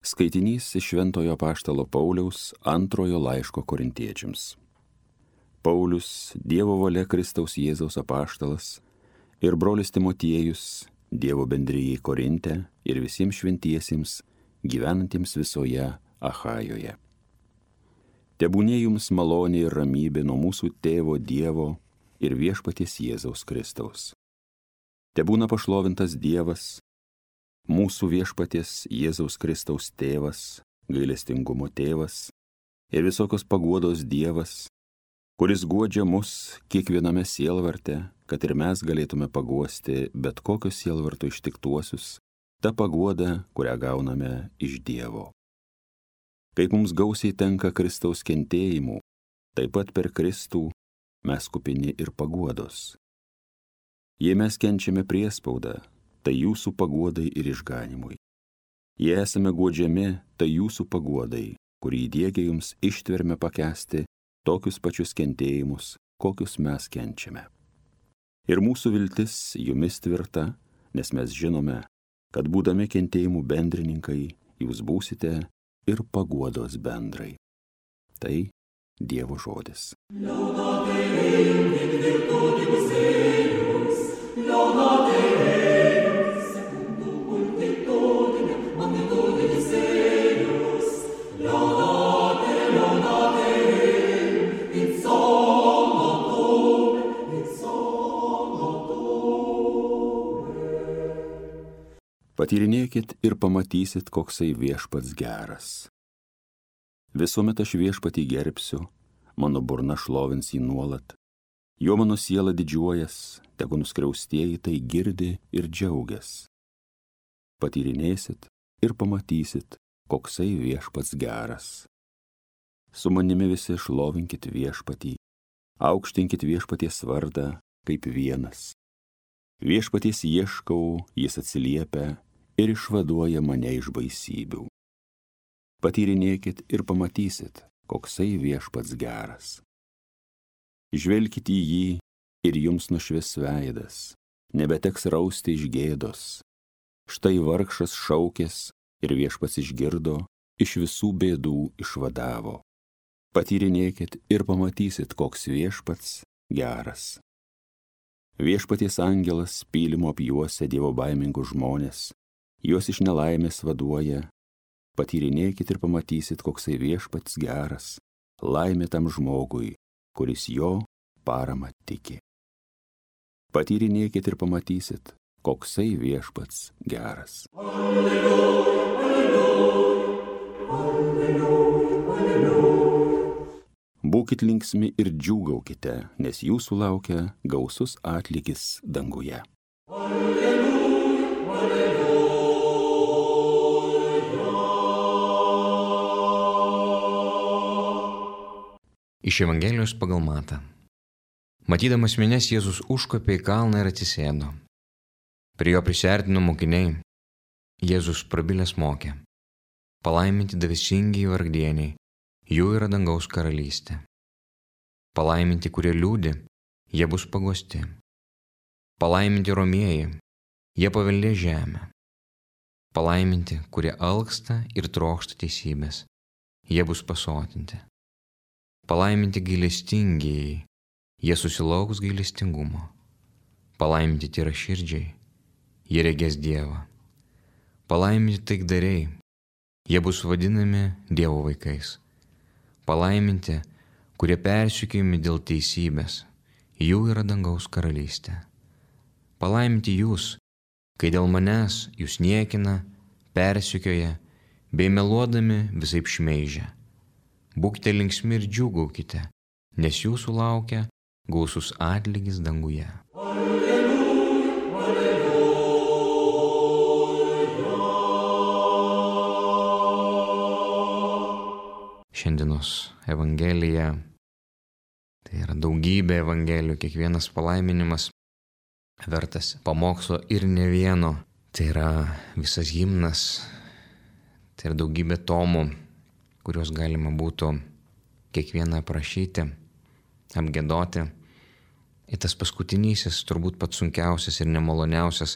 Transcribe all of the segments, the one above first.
Skaitinys iš Šventojo apaštalo Pauliaus antrojo laiško korintiečiams. Paulius, Dievo valia Kristaus Jėzaus apaštalas, ir brolis Timotiejus, Dievo bendrijai Korinte ir visiems šventiesiems, gyvenantiems visoje Achajoje. Tebūnie jums malonė ir ramybė nuo mūsų tėvo Dievo ir viešpaties Jėzaus Kristaus. Tebūna pašlovintas Dievas, mūsų viešpaties Jėzaus Kristaus tėvas, gailestingumo tėvas ir visokios paguodos Dievas, kuris guodžia mus kiekviename sielvarte, kad ir mes galėtume paguosti bet kokius sielvarto ištiktuosius, ta paguoda, kurią gauname iš Dievo. Kaip mums gausiai tenka Kristaus kentėjimų, taip pat per Kristų mes kupini ir paguodos. Jei mes kenčiame priespaudą, tai jūsų paguodai ir išganimui. Jei esame guodžiami, tai jūsų paguodai, kurį įdiegia jums ištverme pakęsti tokius pačius kentėjimus, kokius mes kenčiame. Ir mūsų viltis jumis tvirta, nes mes žinome, kad būdami kentėjimų bendrininkai, jūs būsite ir paguodos bendrai. Tai Dievo žodis. Patyrinėkit ir pamatysit, koksai viešpats geras. Visuomet aš viešpatį gerbsiu, mano burna šlovins jį nuolat. Jo mano siela didžiuojas, tegu nuskriaustieji tai girdi ir džiaugias. Patyrinėsit ir pamatysit, koksai viešpats geras. Su manimi visi šlovinkit viešpatį, aukštinkit viešpaties vardą kaip vienas. Viešpaties ieškau, jis atsiliepia ir išvaduoja mane iš baisybių. Patyrinėkit ir pamatysit, koksai viešpats geras. Žvelkit į jį ir jums nušvis veidas, nebeteks rausti iš gėdos. Štai vargšas šaukės ir viešpats išgirdo, iš visų bėdų išvadavo. Patyrinėkit ir pamatysit, koks viešpats geras. Viešpaties angelas pylimo apjuosia dievobaimingus žmonės, juos iš nelaimės vaduoja. Patyrinėkit ir pamatysit, koksai viešpats geras, laimė tam žmogui, kuris jo parama tiki. Patyrinėkit ir pamatysit, koksai viešpats geras. Alleluja, alleluja, alleluja, alleluja. Būkit linksmi ir džiūgaukite, nes jūsų laukia gausus atlygis danguje. Alleluja, alleluja. Iš Evangelijos pagal Matą. Matydamas minias, Jėzus užkopė į kalną ir atsisėdo. Prie jo prisiartino mokiniai. Jėzus prabilęs mokė: palaiminti dvasingi vargdieniai, jų yra dangaus karalystė. Palaiminti, kurie liūdi, jie bus paguosti. Palaiminti romieji, jie paveldės žemę. Palaiminti, kurie alksta ir trokšta teisybės, jie bus pasotinti. Palaiminti gailestingieji, jie susilauks gailestingumo. Palaiminti tyraširdžiai, jie regės Dievą. Palaiminti taikdariai, jie bus vadinami Dievo vaikais. Palaiminti, kurie persekiojami dėl teisybės, jų yra dangaus karalystė. Palaiminti jūs, kai dėl manęs jūs niekina, persekioja, bei meluodami visaip šmeižia. Būkite linksmi ir džiūgaukite, nes jūsų laukia gausus atlygis danguje. Alleluja, alleluja. Šiandienos Evangelija, tai yra daugybė Evangelijų, kiekvienas palaiminimas vertas pamokslo ir ne vieno. Tai yra visas himnas, tai yra daugybė tomų, kuriuos galima būtų kiekvieną aprašyti, apgiedoti. Ir tas paskutinysis, turbūt pats sunkiausias ir nemaloniausias,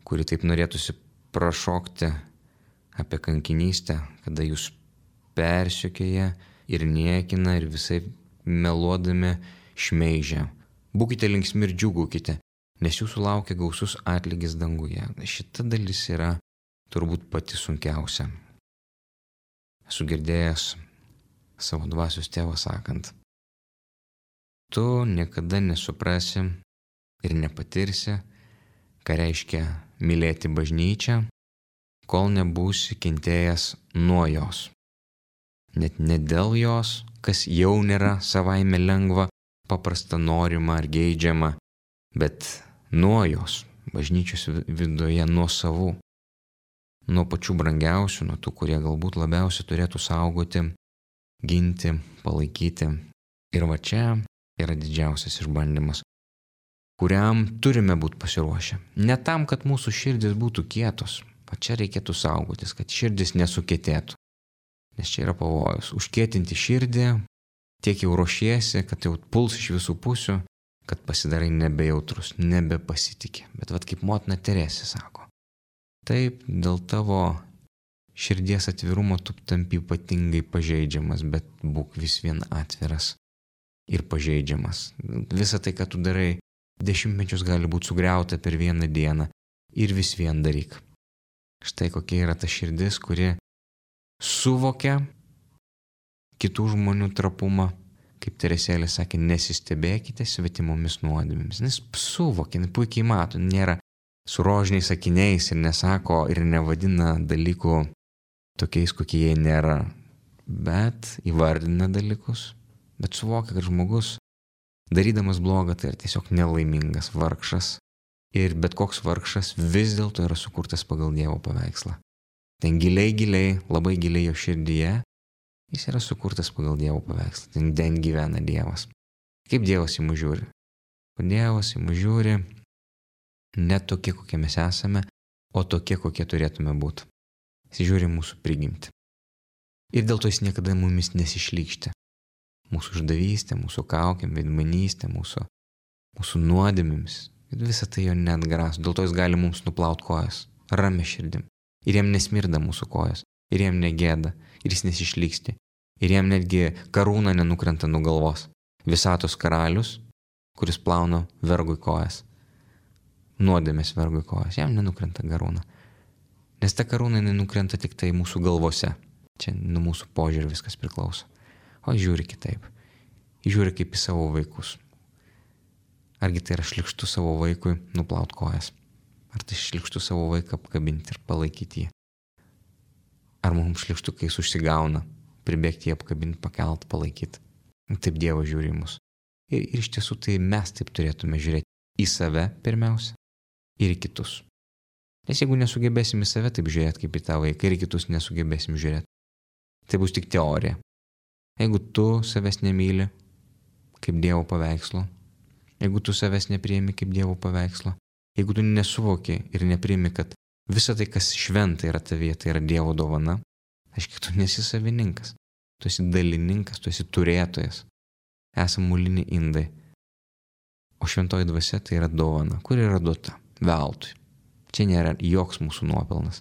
kurį taip norėtųsi prašokti, apie kankinystę, kada jūs persekioja ir niekina ir visai meluodami šmeižia. Būkite linksmi ir džiūgaukite, nes jūsų laukia gausus atlygis danguje. Šita dalis yra turbūt pati sunkiausia. Esu girdėjęs savo dvasios tėvą sakant, tu niekada nesuprasi ir nepatirsi, ką reiškia mylėti bažnyčią, kol nebūsi kentėjęs nuo jos. Net ne dėl jos, kas jau nėra savaime lengva, paprasta, norima ar geidžiama, bet nuo jos, bažnyčios viduje, nuo savų, nuo pačių brangiausių, nuo tų, kurie galbūt labiausiai turėtų saugoti, ginti, palaikyti. Ir va čia yra didžiausias išbandymas, kuriam turime būti pasiruošę. Ne tam, kad mūsų širdis būtų kietos, o čia reikėtų saugotis, kad širdis nesukietėtų. Nes čia yra pavojus. Užkietinti širdį, tiek jau ruošiesi, kad jau puls iš visų pusių, kad pasidarai nebejautrus, nebepasitikė. Bet vat kaip motina Teresė sako, taip, dėl tavo širdies atvirumo tu tampi ypatingai pažeidžiamas, bet būk vis vien atviras ir pažeidžiamas. Visa tai, ką tu darai, dešimtmečius gali būti sugriauta per vieną dieną ir vis vien daryk. Štai kokia yra ta širdis, kuri suvokia kitų žmonių trapumą, kaip Teresėlė sakė, nesistebėkite svetimomis nuodėmėmis. Nes suvokia, puikiai mato, nėra su rožiniais sakiniais ir nesako ir nevadina dalykų tokiais, kokie jie nėra, bet įvardina dalykus, bet suvokia, kad žmogus, darydamas blogą, tai yra tiesiog nelaimingas vargšas ir bet koks vargšas vis dėlto yra sukurtas pagal Dievo paveikslą. Ten giliai, labai giliai jo širdyje jis yra sukurtas pagal Dievo paveikslą. Ten gyvena Dievas. Kaip Dievas į mus žiūri? Dievas į mus žiūri ne tokie, kokie mes esame, o tokie, kokie turėtume būti. Jis žiūri mūsų prigimtį. Ir dėl to jis niekada mumis nesišlykštė. Mūsų išdavystė, mūsų kaukėm, veidmainystė, mūsų nuodėmėmis. Visą tai jo neatgraso. Dėl to jis gali mums nuplaut kojas, ramia širdim. Ir jam nesmirda mūsų kojas, ir jam negėda, ir jis nesišlyksti. Ir jam netgi karūna nenukrenta nuo galvos. Visatos karalius, kuris plauna vergui kojas. Nuodėmės vergui kojas, jam nenukrenta karūna. Nes ta karūna nenukrenta tik tai mūsų galvose. Čia nuo mūsų požiūrį viskas priklauso. O žiūri kitaip. Žiūri kaip į savo vaikus. Argi tai yra šlykštu savo vaikui nuplaut kojas? Ar tai šlykštu savo vaiką apkabinti ir palaikyti jį? Ar mums šlykštu, kai jis užsigauna, pribėgti jį apkabinti, pakelt, palaikyti? Taip Dievas žiūri į mus. Ir iš tiesų tai mes taip turėtume žiūrėti į save pirmiausia ir į kitus. Nes jeigu nesugebėsim į save taip žiūrėti kaip į tą vaiką ir į kitus nesugebėsim žiūrėti, tai bus tik teorija. Jeigu tu savęs nemyli kaip Dievo paveikslo, jeigu tu savęs nepriimi kaip Dievo paveikslo, jeigu tu nesuvoki ir nepriimi, kad visa tai, kas šventa yra tavyje, tai yra Dievo dovana, aiškiai, tu nesi savininkas, tu esi dalininkas, tu esi turėtojas. Esam muliniai indai. O šventoji dvasia tai yra dovana, kuri yra duota veltui. Čia nėra joks mūsų nuopelnas.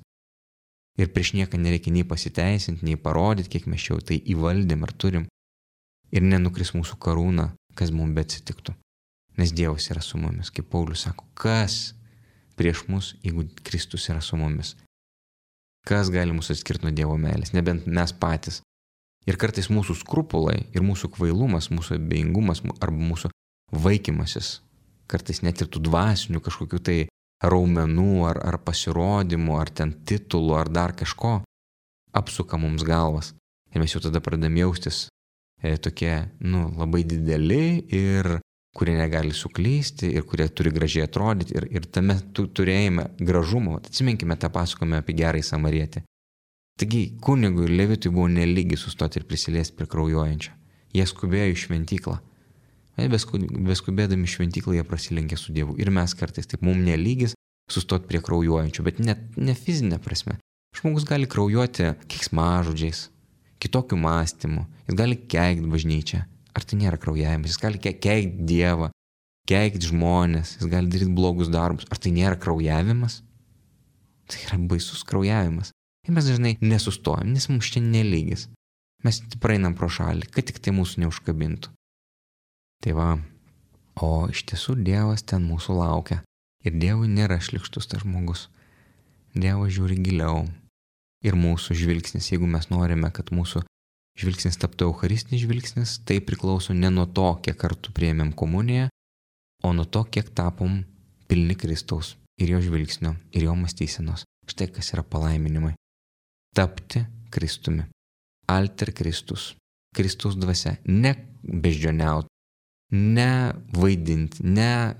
Ir prieš nieką nereikia nei pasiteisinti, nei parodyti, kiek mes čia tai įvaldėm ar turim. Ir nenukris mūsų karūna, kas mums beatsitiktų. Nes Dievas yra su mumis. Kaip Paulius sako, kas prieš mus, jeigu Kristus yra su mumis? Kas gali mus atskirti nuo Dievo meilės? Nebent mes patys. Ir kartais mūsų skrupulai ir mūsų kvailumas, mūsų abejingumas arba mūsų vaikymasis, kartais net ir tų dvasinių kažkokių tai raumenų ar pasirodymų, ar ten titulų, ar dar kažko, apsuka mums galvas. Ir mes jau tada pradedam jaustis tokie, labai dideli ir kurie negali suklysti ir kurie turi gražiai atrodyti ir tame turėjime gražumo. Atsiminkime tą pasakojimą apie gerąjį samarietį. Taigi kunigui ir levitui buvo nelygi sustoti ir prisiliesti prie kraujuojančio. Jie skubėjo į šventyklą. Beskubėdami šventyklą jie prasilenkė su Dievu. Ir mes kartais taip, mums nelygis sustoti prie kraujuojančio, bet ne fizinė prasme. Žmogus gali kraujuoti keiksmažodžiais, kitokiu mąstymu. Jis gali keikti bažnyčią. Ar tai nėra kraujavimas? Jis gali keikti Dievą, keikti žmonės, jis gali daryti blogus darbus. Ar tai nėra kraujavimas? Tai yra baisus kraujavimas. Ir mes dažnai nesustojam, nes mums čia nelygis. Mes praeinam pro šalį, kad tik tai mūsų neužkabintų. Tai va, o iš tiesų Dievas ten mūsų laukia. Ir Dievui nėra šlykštus tas žmogus. Dievas žiūri giliau. Ir mūsų žvilgsnis, jeigu mes norime, kad mūsų žvilgsnis taptų eucharistinis žvilgsnis, tai priklauso ne nuo to, kiek kartų priėmėm komuniją, o nuo to, kiek tapom pilni Kristaus ir jo žvilgsnio, ir jo mąstysenos. Štai kas yra palaiminimai. Tapti Kristumi. Alter Kristus. Kristaus dvasia. Ne beždžioniaut, ne vaidinti, ne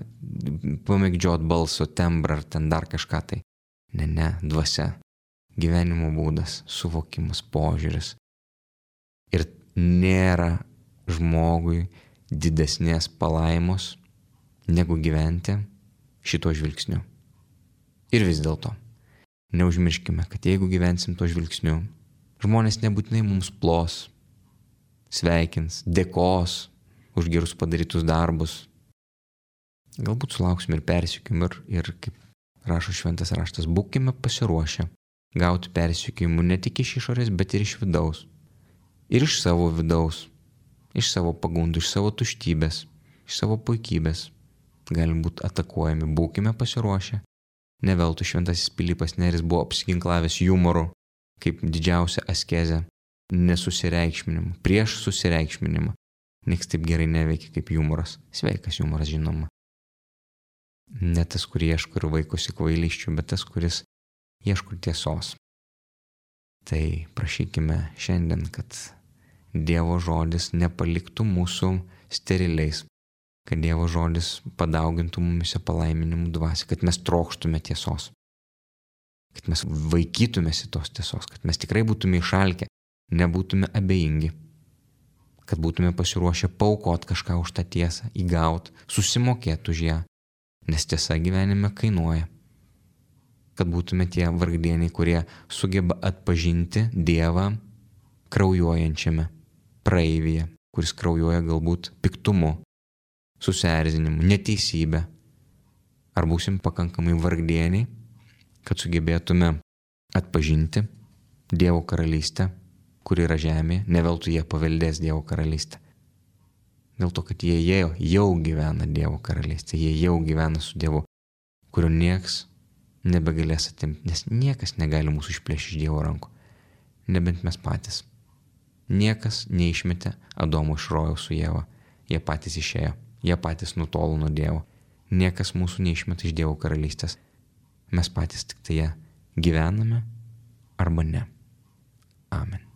pamėgdžiot balso tembrą ar ten dar kažką tai. Ne, dvasia. Gyvenimo būdas, suvokimas, požiūris. Ir nėra žmogui didesnės palaimos, negu gyventi šito žvilgsniu. Ir vis dėlto, neužmirškime, kad jeigu gyvensim to žvilgsniu, žmonės nebūtinai mums plos, sveikins, dėkos už gerus padarytus darbus. Galbūt sulauksim ir persekiojimų ir kaip rašo šventas raštas, būkime pasiruošę gauti persekiojimų ne tik iš išorės, bet ir iš vidaus. Ir iš savo vidaus, iš savo pagundų, iš savo tuštybės, iš savo puikybės. Galim būti atakuojami, būkime pasiruošę. Ne veltui šventasis Pilypas Nėris buvo apsiginklavęs jumoru, kaip didžiausia askezė, nesusireikšminimu, prieš susireikšminimą. Nieks taip gerai neveikia kaip jumoras. Sveikas jumoras, žinoma. Ne tas, kur ieško ir vaikosi kvailysčių, bet tas, kuris ieško tiesos. Tai prašykime šiandien, kad Dievo žodis nepaliktų mūsų steriliais, kad Dievo žodis padaugintų mumise palaiminimų dvasią, kad mes trokštume tiesos, kad mes vaikytumės į tos tiesos, kad mes tikrai būtume išalkę, nebūtume abejingi, kad būtume pasiruošę paaukot kažką už tą tiesą, įgaut, susimokėt už ją, nes tiesa gyvenime kainuoja. Kad būtume tie vargdieniai, kurie sugeba atpažinti Dievą kraujuojančiame praeivyje, kuris kraujuoja galbūt piktumu, susierzinimu, neteisybė. Ar būsim pakankamai vargdieniai, kad sugebėtume atpažinti Dievo karalystę, kuri yra žemėje, ne veltui jie paveldės Dievo karalystę. Dėl to, kad jie jau gyvena Dievo karalystę, jie jau gyvena su Dievu, kurio nieks nebegalės atimti, nes niekas negali mūsų išplėšti iš Dievo rankų, nebent mes patys. Niekas neišmetė Adomo iš rojaus su Ieva, jie patys išėjo, jie patys nutolo nuo Dievo. Niekas mūsų neišmeta iš Dievo karalystės, mes patys tik tai ją gyvename arba ne. Amen.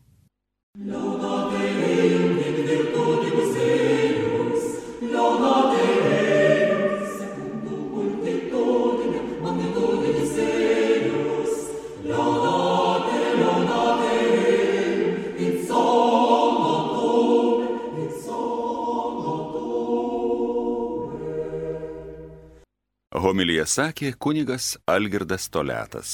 Homiliją sakė kunigas Algirdas Toliatas.